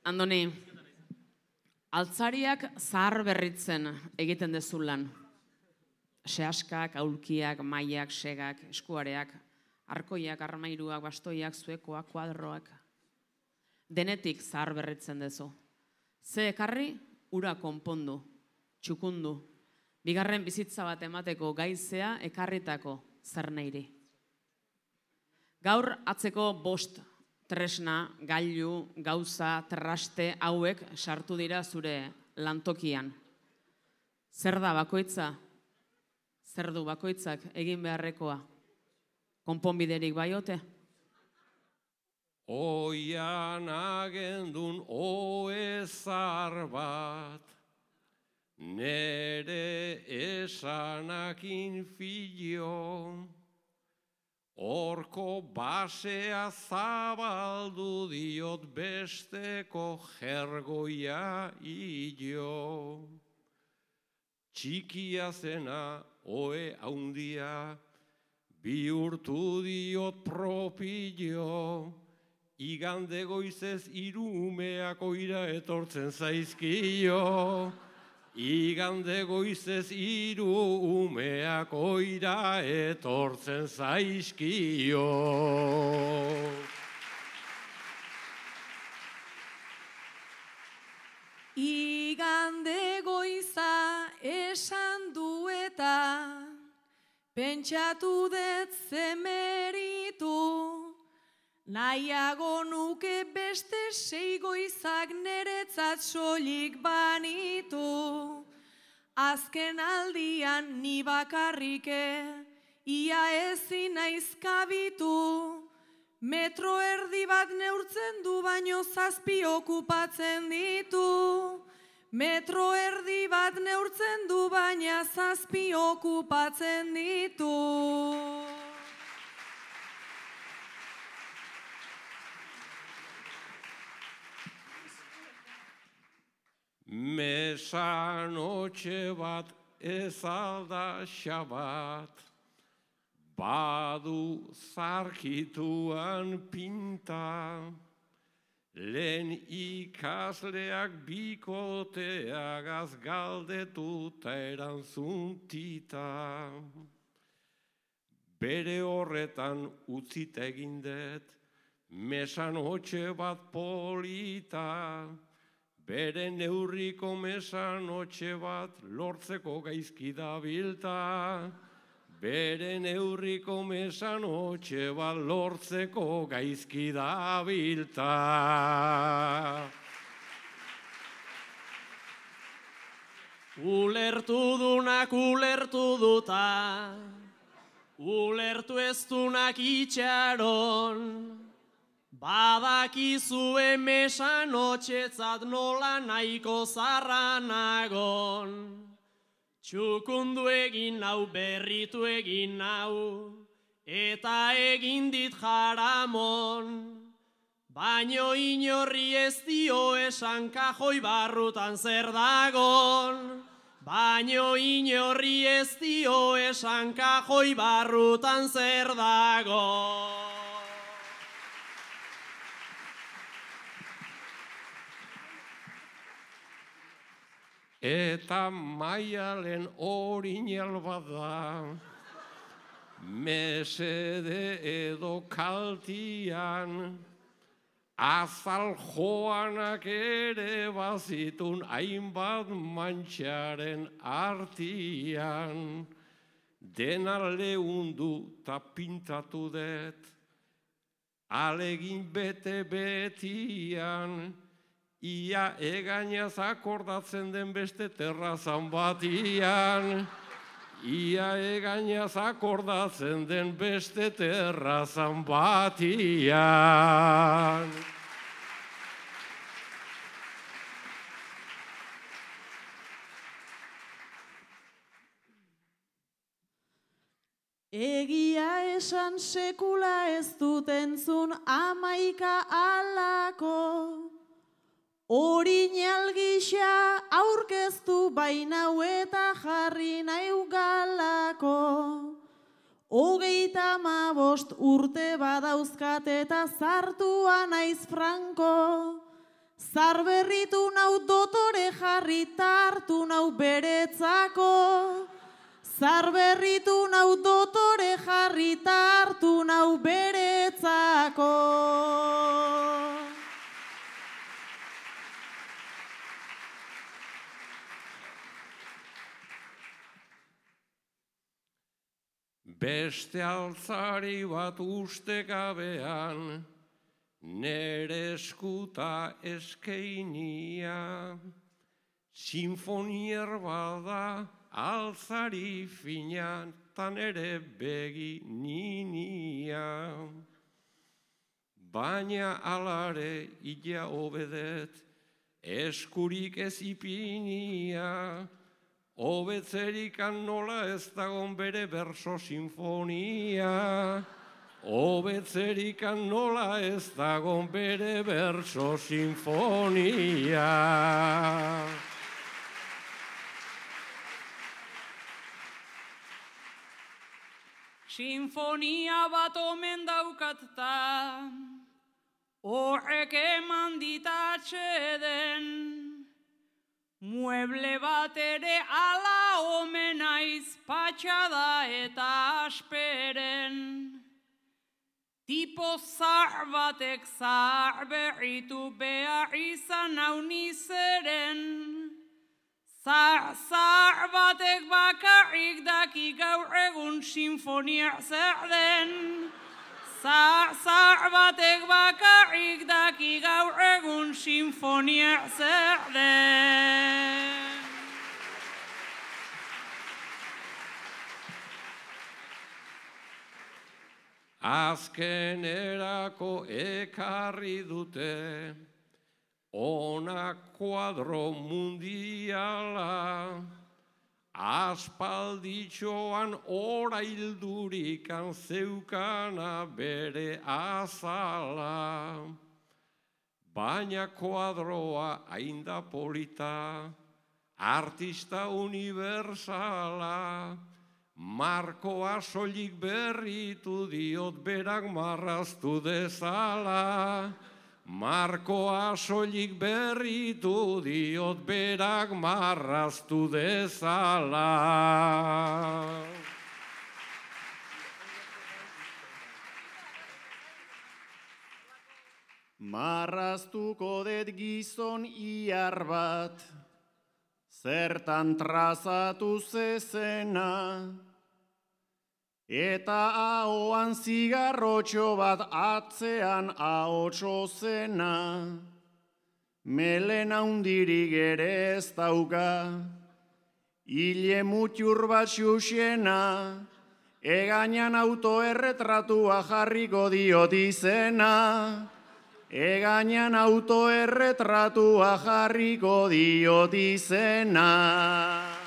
Andoni, altzariak zahar berritzen egiten dezu lan. Sehaskak, aulkiak, mailak, segak, eskuareak, arkoiak, armairuak, bastoiak, zuekoak, kuadroak. Denetik zahar berritzen dezu. Ze ekarri, ura konpondu, txukundu. Bigarren bizitza bat emateko gaizea ekarritako zer neiri. Gaur atzeko 5 tresna, gailu, gauza, traste hauek sartu dira zure lantokian. Zer da bakoitza? Zer du bakoitzak egin beharrekoa? Konponbiderik bai ote? Oian agendun oezar bat, nere esanakin filo, horko basea zabaldu diot besteko jergoia hilo. Txikia zena oe haundia, bihurtu diot propio, igande goizez 3 umeak oira etortzen zaizkio. Igande goizez 3 umeak oira etortzen zaizkio. Igande goiza esan du eta pentsatu dut zemeritu, nahiago nuke beste 6 goizak neretzat soilik banitu. Azken aldian ni bakarrike, ia ezin naiz kabitu. Metro erdi bat neurtzen du baino 7 okupatzen ditu. Metro erdi bat neurtzen du baina 7 okupatzen ditu. Mesanotxe bat ez alda xabat, badu zarkituan pinta, lehen ikasleak bikoteagaz galdetuta eranzuntita. Bere horretan utzit egindet, mesanotxe bat polita, bere neurriko mesanotxe bat lortzeko gaizki dabilta. Bere neurriko mesanotxe bat lortzeko gaizki dabilta. Ulertu dunak ulertu duta, ulertu ez dunak itxaron, badakizue mesanotxetzat nola nahiko zarra nagon. Txukundu egin nau, berritu egin nau, eta egin dit jaramon. Baino inorri ez dio esan kajoi barrutan zer dagon. Baino inorri ez dio esan kajoi barrutan zer dagon. Eta maialen orinal bada, mesede edo kaltian, azal joanak ere bazitun hainbat mantxaren artian. Dena leundu ta pintatu dut, alegin bete betian, ia egainaz akordatzen den beste terrazan batian. Ia egainaz akordatzen den beste terrazan batian. Egia esan sekula ez dut entzun 11 alako. Orinal gisa aurkeztu bainau eta jarri nahi galako. 35 urte badauzkat eta zartua naiz franko. Zarberritu nau dotore jarri tartu nau beretzako. Zarberritu nau dotore jarri tartu nau beretzako. Beste altzari bat ustekabean, nere eskuta eskeinia, sinfonier bada altzari fina, tan ere begi ninia. Baina alare ila obedet, eskurik ez ipinia, hobetzerikan nola ez dagon bere berso sinfonia. Hobetzerikan nola ez dagon bere berso sinfonia. Sinfonia bat omen daukatta, horrek eman ditatxeden. Mueble bat ere ala omen aiz patxada eta asperen. Tipo zahar batek zahar berritu behar izan hau nizeren. Zahar batek bakarrik daki gaur egun sinfonia zer den. Zahar batek bakarrik daki gaur egun sinfonia zer den. Azkenerako ekarri dute, ona kuadro mundiala, aspalditxoan ora hildurikan zeukana bere azala. Baina kuadroa ainda polita, artista universala, markoa soilik berritu diot berak marraztu dezala. Markoa soilik berritu diot berak marraztu dezala. Marraztuko det gizon iar bat, zertan trazatu zezena, eta ahoan zigarrotxo bat atzean ahotso zena, melena hundirik ere ez dauka, hile mutxur bat xuxena, egainan autoerretratua jarriko diot izena, egainan autoerretratua jarriko diot izena.